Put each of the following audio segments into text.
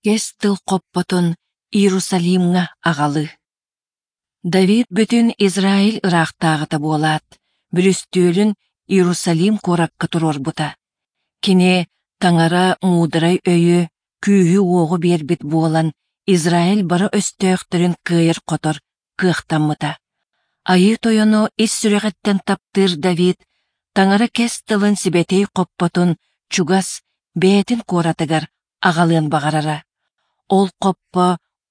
Кэс тыл хоппотун Иерусалимҥа аҕалыы. Давид бүтүн Израиль ыраахтааҕыта буолаат, бүрүстүөлүн Иерусалим куоракка туруорбута. Кини Таҥара муударай өйү, күүһү-уоҕу биэрбит буолан, Израиль бары өстөөхтөрүн кыайар-хотор кыахтаммыта. Айыы Тойону ис сүрэҕиттэн таптыыр Давид Таҥара кэс тылын сибэтиэй хоппотун чугас бэйэтин куоратыгар аҕалыан баҕарара. Ол хоппо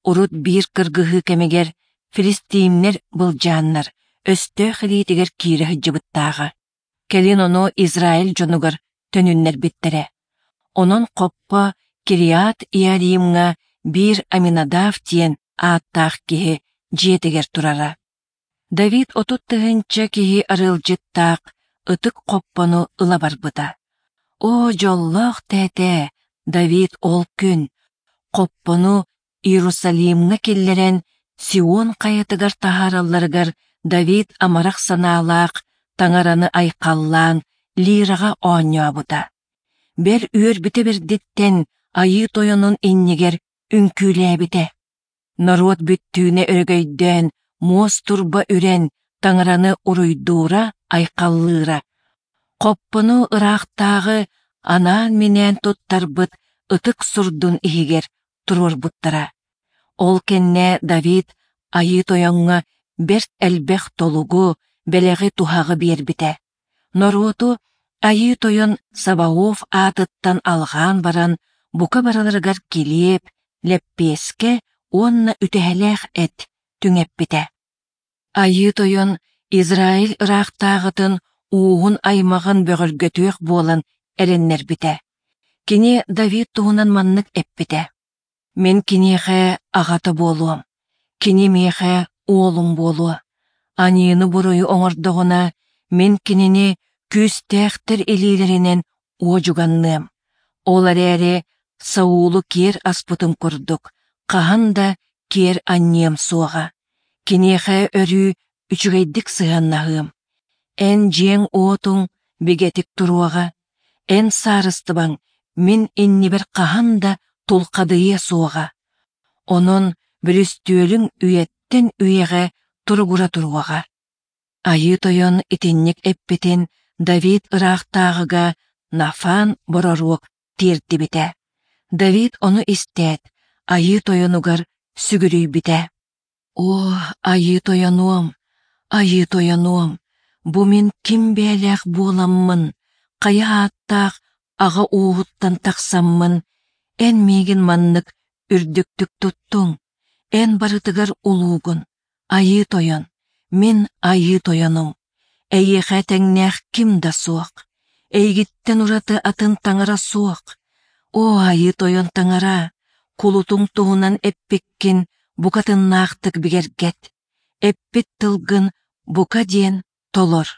урут биир кыргыһыы кэмигэр филистиимнэр былдьааннар өстөөх илиитигэр киирэ сылдьыбыттааҕа. Кэлин ону Израиль дьонугар төнүннэрбиттэрэ. Онон хоппо Кириат-Иаримҥа биир Аминадав диэн ааттаах киһи дьиэтигэр турара. Давид 30 000 киһи арыалдьыттаах ытык хоппону ыла барбыта. Оо, дьоллоох тээтээ, Давид ол күн хоппону Иерусалимҥа киллэрэн Сион хайатыгар таһааралларыгар Давид амарах санаалаах Таҥараны айхаллаан лираҕа оонньообута. Бэл үөрбүтэ бэрдиттэн Айыы Тойонун иннигэр үҥкүүлээбитэ. Норуот бүттүүнэ өрөгөйдөөн, муос турба үрэн, Таҥараны уруйдуура-айхаллыыра. Хоппону ыраахтааҕы анаан-минээн туттарбыт ытык сурдун иһигэр туруорбуттара. Ол кэннэ Давид Айыы Тойоҥҥо бэрт элбэх толугу, бэлэҕи-туһаҕы биэрбитэ. Норуоту Айыы Тойон Саваоф аатыттан алҕаан баран, бука барыларыгар килиэп, лэппиэскэ уонна үтэһэлээх эт түҥэппитэ. Айыы Тойон Израиль ыраахтааҕытын ууһун аймаҕын бөҕөргөтүөх буолан эрэннэрбитэ. Кини Давид туһунан маннык эппитэ: «Мин киниэхэ аҕата буолуом, кини миэхэ уолум буолуо. Аньыыны-буруйу оҥордоҕуна, мин кинини күүстээхтэр илиилэринэн уодьуганныам. Ол эрээри Саулу киэр аспытым курдук, хаһан да киэр анньыам суоҕа. Киниэхэ өрүү үчүгэйдик сыһыаннаһыам. Эн дьиэҥ-уотуҥ бигэтик туруоҕа, эн саарыстыбаҥ мин иннибэр хаһан да тулхадыйыа суоҕа. Онон бүрүстүөлүҥ үйэттэн үйэҕэ туругура туруоҕа. Айыы Тойон итинник эппитин Давид ыраахтааҕыга Нафан бороруок тиэрдибитэ. Давид ону истээт, Айыы Тойонугар сүгүрүйбүтэ. Оо, Айыы Тойонуом, Айыы Тойонуом, бу мин ким бэйэлээх буоламмын, хайа ааттаах аҕа ууһуттан тахсаммын, эн миигин маннык үрдүктүк туттуҥ, эн барытыгар улуугун, Айыы Тойон, мин Айыы Тойонум, эйиэхэ тэҥнээх ким да суох, эйигиттэн ураты атын таҥара суох. Оо, Айыы Тойон Таҥара, кулутуҥ туһунан эппиккин букатыннаахтык бигэргэт, эппит тылгын бука диэн толор.